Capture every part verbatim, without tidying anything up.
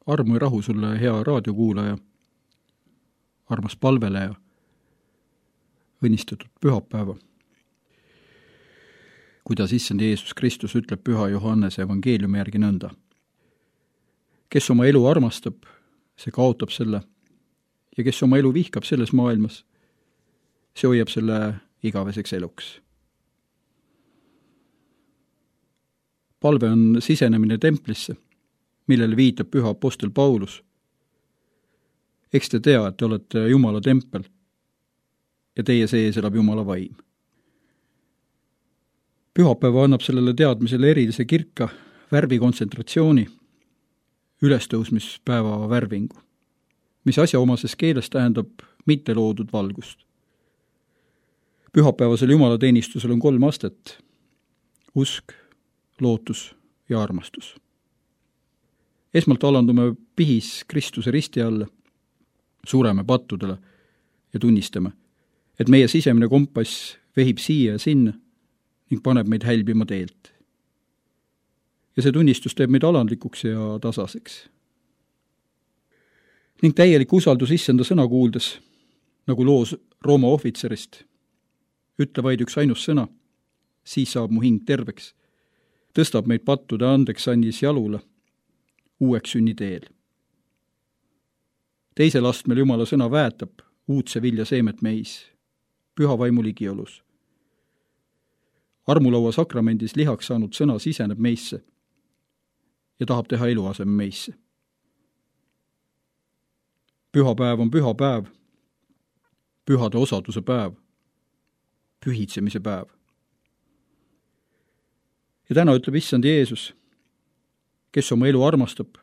armu ja rahu sulle, hea raadiokuulaja, armas palveleja, õnnistatud pühapäeva. Kuidas issand Jeesus Kristus ütleb püha Johannese evangeeliumi järgi nõnda. Kes oma elu armastab, see kaotab selle, ja kes oma elu vihkab selles maailmas, see hoiab selle igaveseks eluks. Palve on sisenemine templisse, millele viitab püha apostel Paulus. Eks te tea, et te olete Jumala tempel ja teie sees elab Jumala vaim. Pühapäeva annab sellele teadmisele erilise kirka värvikontsentratsiooni, ülestõusmispäeva värvingu, mis asjaomases keeles tähendab mitte loodud valgust. Pühapäevasel jumalateenistusel on kolm astet: usk, lootus ja armastus. Esmalt alandume pihis Kristuse risti alla, sureme pattudele ja tunnistame, et meie sisemine kompass vehib siia ja sinna ning paneb meid hälbima teelt. Ja see tunnistus teeb meid alandlikuks ja tasaseks. Ning täielik usaldus issanda sõna kuuldes, nagu loos Rooma ohvitserist, ütle vaid üks ainus sõna, siis saab mu hing terveks, tõstab meid pattude andeks andis jalule, uueks sünniteel. Teisel astmel Jumala sõna väetab uudse vilja seemet meis, püha vaimu ligiolus. Armulaua sakramendis lihaks saanud sõna siseneb meisse ja tahab teha eluaseme meisse. Pühapäev on püha päev, pühade osaduse päev, pühitsemise päev. Ja täna ütleb issand Jeesus, kes oma elu armastab,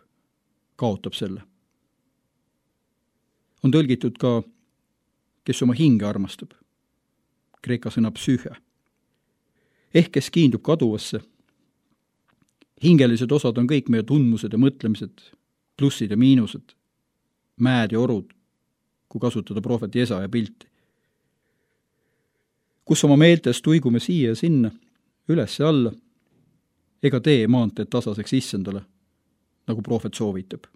kaotab selle. On tõlgitud ka, kes oma hinge armastab, kreeka sõna psüühe, ehk kes kiindub kaduvasse. Hingelised osad on kõik meie tundmused ja mõtlemised, plussid ja miinused, mäed ja orud, kui kasutada prohvet Jesaja pilti. Kus oma meeltes tuigume siia ja sinna, üles ja alla, ega tee maanteed tasaseks issandale, nagu prohvet soovitab.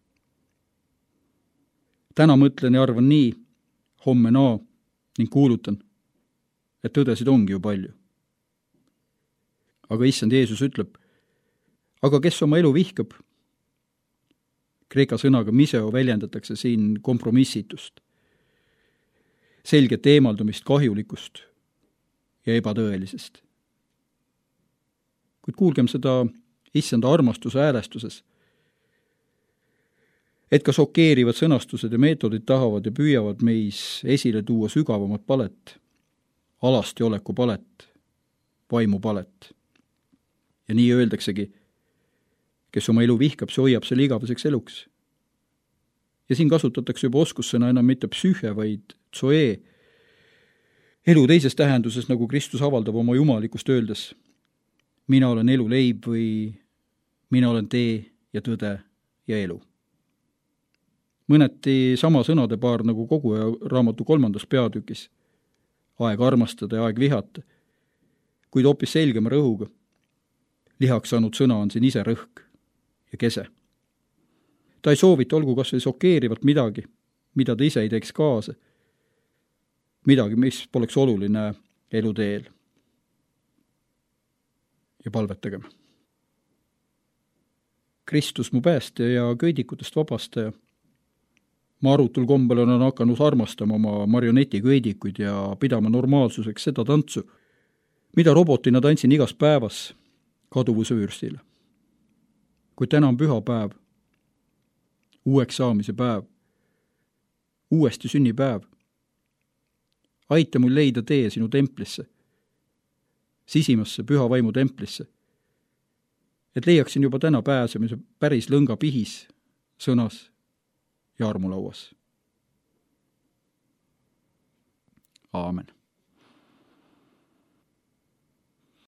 Täna mõtlen ja arvan nii, homme naa ning kuulutan, et tõdesid ongi ju palju. Aga issand Jeesus ütleb, aga kes oma elu vihkab? Kreeka sõnaga miseo väljendatakse siin kompromissitust, selget eemaldumist kahjulikust ja ebatõelisest. Kuid kuulgem seda issanda armastuse häälestuses, et ka šokeerivad sõnastused ja meetodid tahavad ja püüavad meis esile tuua sügavamat palet, alasti oleku palet, vaimu palet. Ja nii öeldaksegi, kes oma elu vihkab, see hoiab selle igaveseks eluks. Ja siin kasutatakse juba oskussõna enam mitte psüühe, vaid zoe, elu teises tähenduses, nagu Kristus avaldab oma jumalikust öeldes, mina olen elu leib või mina olen tee ja tõde ja elu. Mõneti sama sõnade paar nagu kogu raamatu kolmandas peatükis, aeg armastada ja aeg vihata, kuid hoopis selgema rõhuga. Lihaks saanud sõna on siin ise rõhk ja kese. Ta ei soovita olgu kas või šokeerivalt midagi, mida ta ise ei teeks kaasa, midagi, mis poleks oluline eluteel. Ja palvetagem. Kristus mu päästja ja köidikutest vabastaja. Ma arutul kombel on hakanud armastama oma marionetiköidikuid ja pidama normaalsuseks seda tantsu, mida robotina tantsin igas päevas kaduvuse vürstile. Kuid täna on püha päev, uueks saamise päev, uuesti sünnipäev. Aita mul leida tee sinu templisse, sisimasse püha vaimu templisse, et leiaksin juba täna pääsemise päris lõnga pihis, sõnas ja armulauas. Aamen.